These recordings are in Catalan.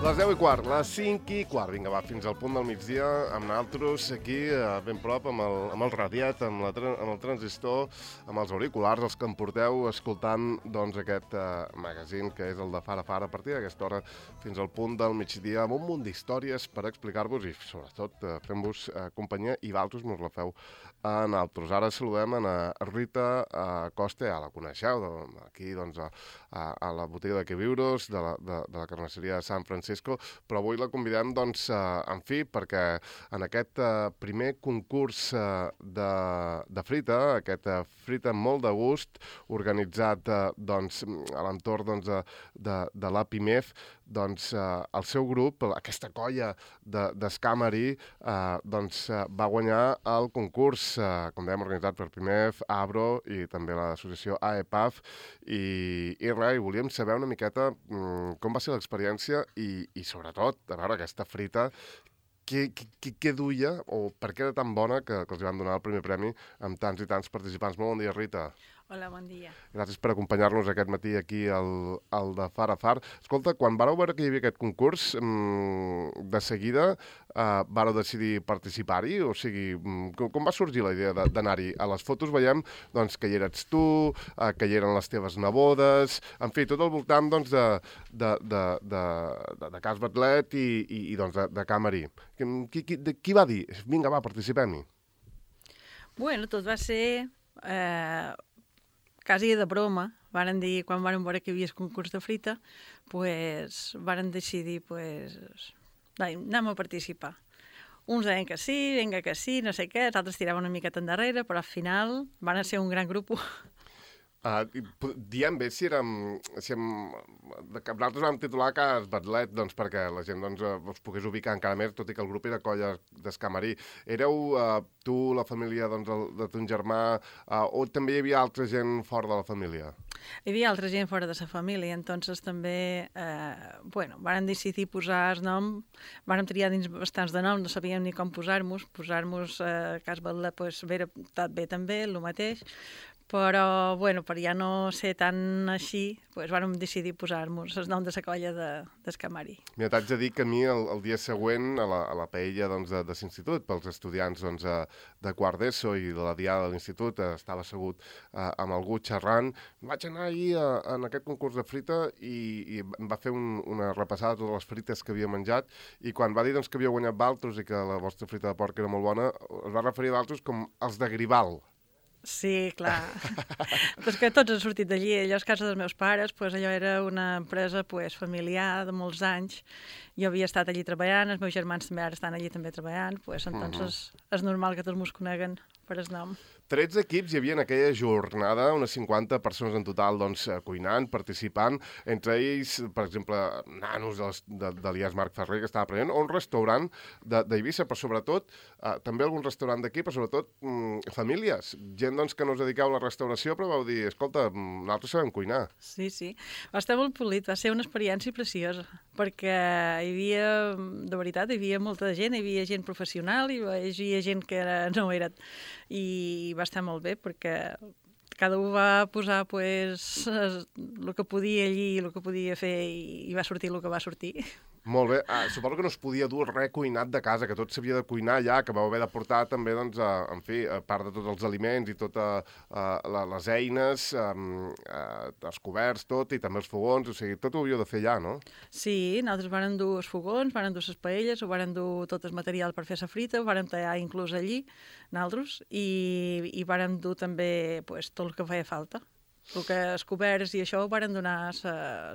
Les 10:15, les 5:15. Vinga, va, fins al punt del migdia, amb naltros aquí, ben prop, amb el radiat, amb el transistor, amb els auriculars, els que em porteu escoltant doncs, aquest magazín que és el de Fara Fara, a partir d'aquesta hora fins al punt del migdia, amb un munt d'històries per explicar-vos i, sobretot, fent-vos companyia, i vosaltres nos la feu a naltros. Ara saludem a Rita Costa, ja la coneixeu, aquí, doncs, a la botiga de Queviuros, de la carnisseria de Sant Francisco, però avui la convidem, doncs, en fi, perquè en aquest primer concurs de frita, aquest frita molt de gust, organitzat, doncs, a l'entorn, doncs, de l'APIMEF, doncs, el seu grup, aquesta colla d'Escamari, doncs, va guanyar el concurs, com dèiem, organitzat per PIMEF, ABRO i també l'associació AEPAF, i res, i volíem saber una miqueta com va ser l'experiència i sobretot, a veure, aquesta frita, què duia o per què era tan bona que els van donar el primer premi amb tants i tants participants. Molt bon dia, Rita. Hola, bon dia. Gràcies per acompanyar-nos aquest matí aquí al de Far a Far. Escolta, quan vareu veure que hi havia aquest concurs, de seguida vareu decidir participar-hi? O sigui, com va sorgir la idea d'anar-hi? A les fotos veiem doncs, que hi eres tu, que hi eren les teves nebodes, en fi, tot al voltant doncs, de Cas Batlet i doncs, de Camarí. Qui va dir? Vinga, va, participem-hi. Bueno, tot va ser quasi de broma. Varen dir, quan varen veure que hi havia el concurs de frita, pues, varen decidir, pues, anem a participar. Uns deien que sí, vinga que sí, no sé què, els altres tiraven una miqueta endarrere, però al final van ser un gran grup. Diem bé si nosaltres vam titular Cas Batlet, doncs, perquè la gent doncs, us pogués ubicar encara més, tot i que el grup era colla d'Escamarí. Éreu tu, la família doncs, de ton germà, o també hi havia altra gent fora de la família? Hi havia altra gent fora de la família, entonces també, varen decidir posar el nom, varen triar dins bastants de noms, no sabíem ni com posar-nos, Cas Batlet, pues, tot bé també, el mateix, però, per ja no ser tan així, vam decidir posar-nos el nom de la colla d'Escamari. Mira, t'haig de dir que a mi el dia següent, a la paella doncs, de l'institut, pels estudiants doncs, de quart d'ESO i de la diada de l'institut, estava assegut amb algú xerrant. Vaig anar ahir en aquest concurs de frita i em va fer una repassada de totes les frites que havia menjat, i quan va dir doncs, que havia guanyat Valtros i que la vostra frita de porc era molt bona, es va referir a Valtros com els de Gribal. Sí, clar. Però és que tots han sortit d'allí. Allò és casa dels meus pares, allò era una empresa familiar de molts anys. Jo havia estat allí treballant, els meus germans també ara estan allí també treballant, entonces és normal que tots mos coneguen per el nom. 13 equips hi havia en aquella jornada, unes 50 persones en total doncs, cuinant, participant, entre ells, per exemple, nanos de l'IAS Marc Ferrer, que estava aprenent, o un restaurant d'Eivissa, però sobretot, també algun restaurant d'aquí, però sobretot famílies, gent doncs, que no us dediqueu a la restauració, però vau dir, escolta, nosaltres sabem cuinar. Sí, va estar molt polit, va ser una experiència preciosa, perquè hi havia molta gent, hi havia gent professional, hi havia gent que no era, i va estar molt bé perquè cada un va posar el que podia allí, el que podia fer, i va sortir el que va sortir. Molt bé. Suposo que no es podia dur res cuinat de casa, que tot s'havia de cuinar allà, que vau haver de portar també, doncs, en fi, a part de tots els aliments i totes les eines, els coberts, tot, i també els fogons, o sigui, tot ho havíeu de fer allà, no? Sí, nosaltres vàrem dur els fogons, vàrem dur les paelles, vàrem dur tot el material per fer la frita, ho vàrem tallar inclús allí, nosaltres, i vàrem dur també tot el que feia falta. El que els coberts i això ho vàrem donar a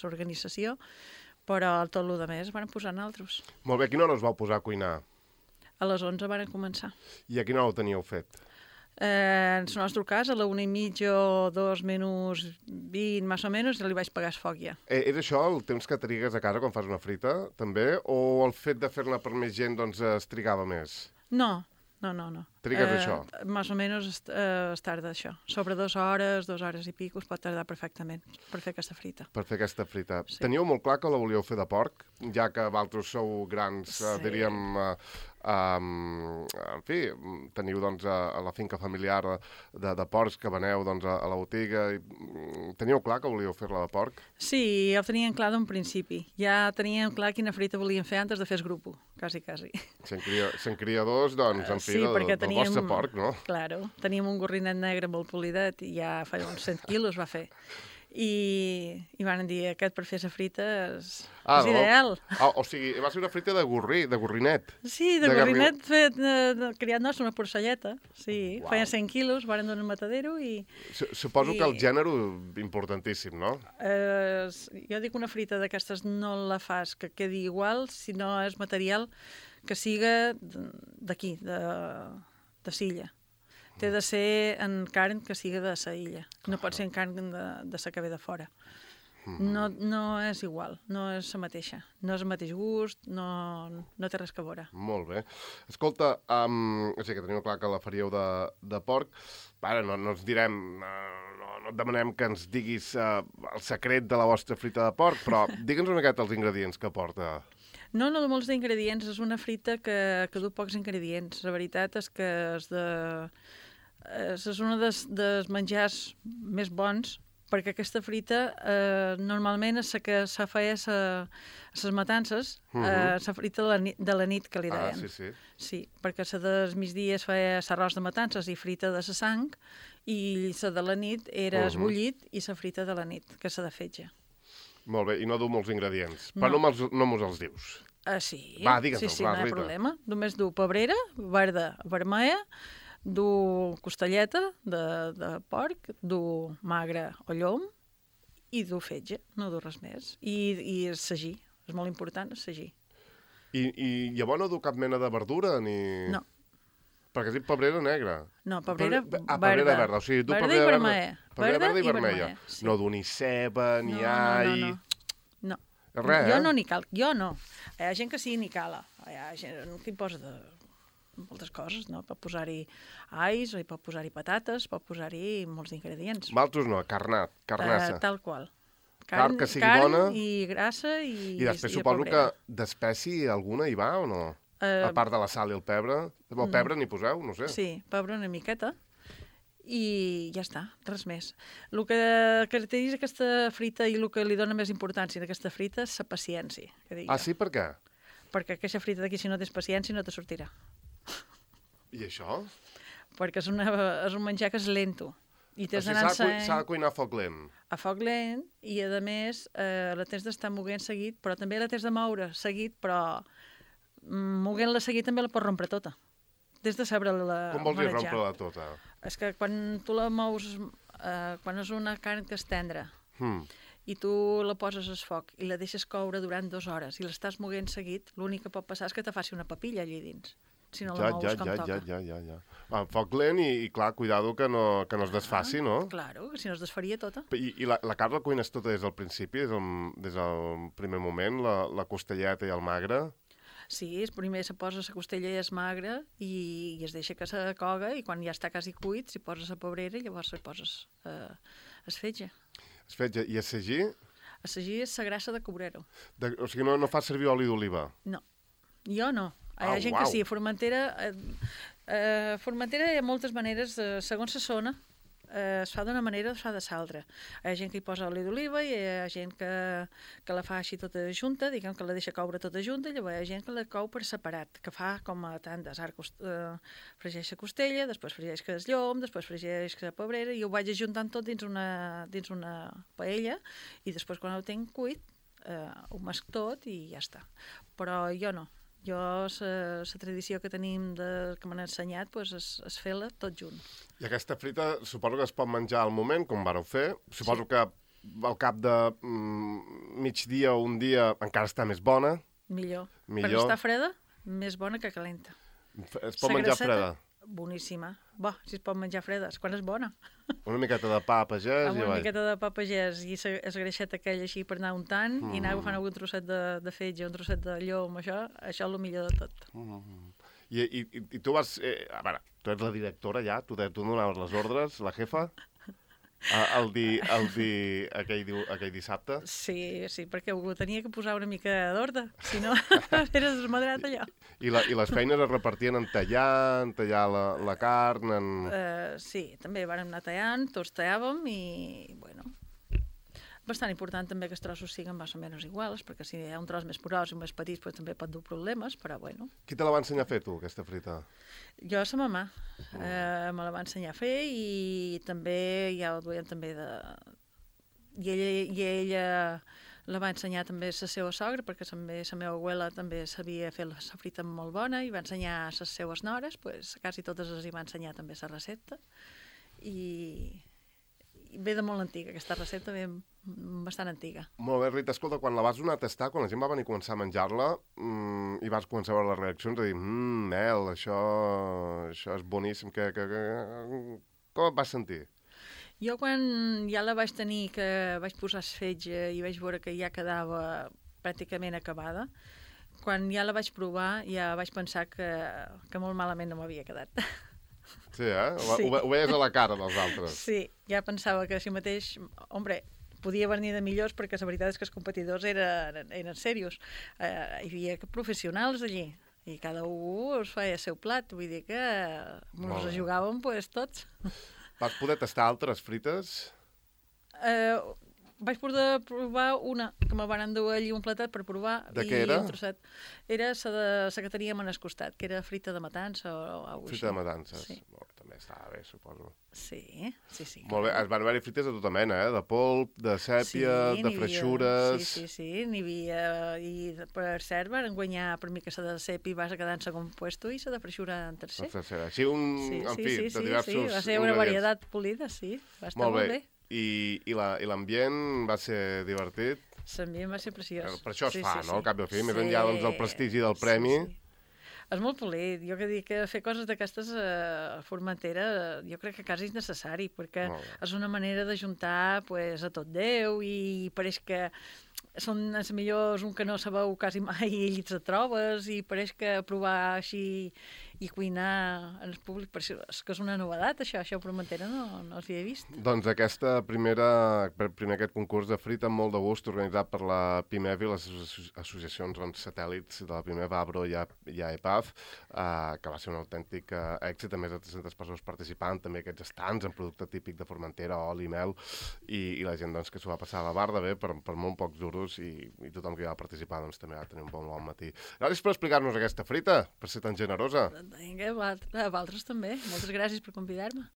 l'organització, però tot el més varen posar nosaltres. Molt bé, a quina hora us vau posar a cuinar? A les 11 varen començar. I a quina hora ho teníeu fet? En el nostre cas, a la 1:30 o 2 menys 20, més o menys, ja li vaig pagar el foc ja. És això el temps que trigues a casa quan fas una frita, també? O el fet de fer-ne per més gent doncs, es trigava més? No. Trigues això? Més o menys es tarda això. Sobre 2 hores i pico es pot tardar perfectament per fer aquesta frita. Per fer aquesta frita. Sí. Teníeu molt clar que la volíeu fer de porc, ja que vosaltres sou grans, diríem, En fi, teniu doncs a la finca familiar de porcs que veneu doncs, a la botiga. Teníeu clar que volíeu fer-la de porc? Sí, ja ho teníem clar d'un principi. Ja teníem clar quina frita volíem fer antes de fer el grup, quasi. Sent criadors, doncs, en fi, Sí, del vostre porc, no? Claro, teníem un gorrinet negre molt polidet i ja fa uns 100 quilos va fer. I van dir, aquest per fer la frita és ideal. O sigui, va ser una frita de gorrinet. Sí, de gorrinet fet, criat nostre, una porcelleta. Sí, feia 100 quilos, van donar un matadero i... Suposo que el gènere importantíssim, no? Jo dic una frita d'aquestes no la fas que quedi igual, sinó és material que siga d'aquí, de Silla. Té de ser en carn que siga de sa illa. No pot ser en carn de sa que ve de fora. No és igual, no és la mateixa. No és el mateix gust, no té res que veure. Molt bé. Escolta, o sigui que teniu clar que la faríeu de porc. Ara, no ens direm, no et demanem que ens diguis el secret de la vostra frita de porc, però digue'ns una miqueta els ingredients que porta. No de molts d'ingredients, és una frita que du pocs ingredients. La veritat és que és un dels menjars més bons, perquè aquesta frita normalment és la que se feia a les matances, la frita de la nit, que li deien. Sí. Sí, perquè la dels migdies feia l'arròs de matances i frita de la sang, i la de la nit era esbullit i la frita de la nit, que és la de fetge. Molt bé, i no du molts ingredients. Però no mos els dius. Sí. Va, digues-los, sí, no hi ha problema. Només du pebrera, verda, vermella, du costelleta de porc, du magre o llom i du fetge, no du res més. I sagí, és molt important, sagí. I llavors no du cap mena de verdura ni... No. Perquè has dit pebrera negra. No, pebrera verda. Pebrera verda, o sigui, du verda i vermella. Verda i vermella. Sí. No du ni ceba, ni all... No. Res, jo no n'hi cal, jo no. Hi ha gent que sí n'hi cala. Hi ha gent que hi posa moltes coses, no? Pot posar-hi alls, pot posar-hi patates, pot posar-hi molts ingredients. Maltos no, carnassa. Tal qual. Carn que sigui bona. I grassa i després suposo que d'espècie alguna hi va o no? A part de la sal i el pebre. El pebre n'hi poseu, no sé. Sí, pebre una miqueta. I ja està, res més. El que caracteritza aquesta frita i el que li dona més importància a aquesta frita és la paciència. Sí? Per què? Perquè aquesta frita d'aquí, si no tens paciència, no te sortirà. I això? Perquè és un menjar que és lento. S'ha de cuinar a foc lent. A foc lent, i a més la tens d'estar moguent seguit, però també la tens de moure seguit, però moguent-la seguit també la pots rompre tota. Des de saber-la com vols dir rompre-la tota? És que quan tu la mous, quan és una carn que és tendra, i tu la poses al foc i la deixes coure durant 2 hores i l'estàs moguent seguit, l'únic que pot passar és que te faci una papilla allà dins, si no la mous com toca. Ja. A foc lent i clar, cuidado que no es desfaci, no? Claro, que si no es desfaria tota. I la carn la cuines tota des del principi, des del primer moment, la costelleta i el magre? Sí, primer se posa la costella i es magre i es deixa que se coga i quan ja està quasi cuit s'hi posa la pebrera i llavors s'hi poses es fetge. Es fetge. I el sagí? El sagí és la grassa de cobrero. O sigui, no fa servir oli d'oliva? No, jo no. Hi ha gent que sí, a Formentera hi ha moltes maneres, segons la zona, es fa d'una manera o es fa de l'altra. Hi ha gent que hi posa oli d'oliva i hi ha gent que la fa així tota junta, diguem que la deixa coure tota junta, i llavors hi ha gent que la cou per separat, que fa com a tandes. Fregeix la costella, després fregeix el llom, després fregeix la pebrera, i ho vaig ajuntant tot dins una paella, i després quan ho tinc cuit ho mesc tot i ja està. Però jo no. Jo, la tradició que tenim que m'han ensenyat és fer-la tot junt. I aquesta frita suposo que es pot menjar al moment, com vareu fer. Suposo que al cap de migdia o un dia encara està més bona. Millor. Quan està freda, més bona que calenta. Es pot menjar freda? Boníssima. Si es pot menjar freda, quan és bona. Una miqueta de pa pagès. Una miqueta de pa pagès i la greixeta aquella així per anar untant i anar agafant algun trosset de fetge, un trosset de llom, això és el millor de tot. I tu vas... a veure, tu ets la directora ja? Tu donaves les ordres, la jefa? Aquell dissabte. Sí, sí, perquè ho tenia que posar una mica d'ordre, si no era desmadrat allò. I les feines es repartien en tallar la carn, Sí, també vàrem anar tallant, tots tallàvem i, bueno, bastant important també que els trossos siguin més o menys iguals, perquè si hi ha un tros més porós i més petit doncs també pot dur problemes, però bueno. Qui te la va ensenyar a fer, tu, aquesta frita? Jo, sa mamà, me la va ensenyar a fer i també ja ho duien també de... I ella la va ensenyar també a la seva sogra, perquè també la meva abuela també sabia fer la frita molt bona i va ensenyar a les seues nores, pues, quasi totes els hi va ensenyar també la recepta. I ve de molt antiga, aquesta recepta ve bastant antiga. Molt bé, Rita, escolta, quan la vas donar a tastar, quan la gent va venir a començar a menjar-la i vas començar a veure les reaccions, a dir, Mel, això és boníssim, com et vas sentir? Jo quan ja la vaig tenir, que vaig posar esfetge i vaig veure que ja quedava pràcticament acabada, quan ja la vaig provar ja vaig pensar que molt malament no m'havia quedat. Sí, Sí. Ho veies a la cara dels altres. Sí, ja pensava que així mateix, hombre, podia venir de millors perquè la veritat és que els competidors eren serios. Hi havia professionals allí i cada un es feia el seu plat, vull dir que ens jugàvem pues, tots. Vas poder tastar altres frites? Vaig poder provar una, que me van endur allí un platet per provar. De què era? Era la que teníem en el costat, que era frita de matança o alguna cosa. Frita de matances. Sí. També estava bé, suposo. Sí, sí, sí. Molt bé, es van haver-hi frites de tota mena, de polp, de sèpia, de freixures... Sí, n'hi havia... I per cert, van guanyar per mi que la de sèpia va quedar en segon puesto i la de freixura en tercer. Així, en fi, de diversos... Sí, va ser una varietat polida, sí. Va estar molt bé. I l'ambient va ser divertit? L'ambient va ser preciós. Per això es fa, no? Al cap i al fi, més enllà del prestigi del premi. És molt polit. Jo que dic que fer coses d'aquestes a Formentera jo crec que quasi és necessari, perquè és una manera d'ajuntar pues, a tot Déu i pareix que són els millors un que no sabeu quasi mai i ells et trobes i pareix que provar així i cuinar en el públic, és que és una novedat això a Formentera no els havia vist. Doncs primer aquest concurs de frita amb molt de gust organitzat per la PIMEV i les associacions satèl·lits de la PIMEV, Abro i AEPAF, que va ser un autèntic èxit, a més de 300 persones participant, també aquests estants en producte típic de Formentera, oli, mel, i la gent doncs, que s'ho va passar a la barra bé per molt pocs duros i tothom que hi va participar doncs, també va tenir un bon matí. Gràcies per explicar-nos aquesta frita, per ser tan generosa. Vinga, a vosaltres també. Moltes gràcies per convidar-me.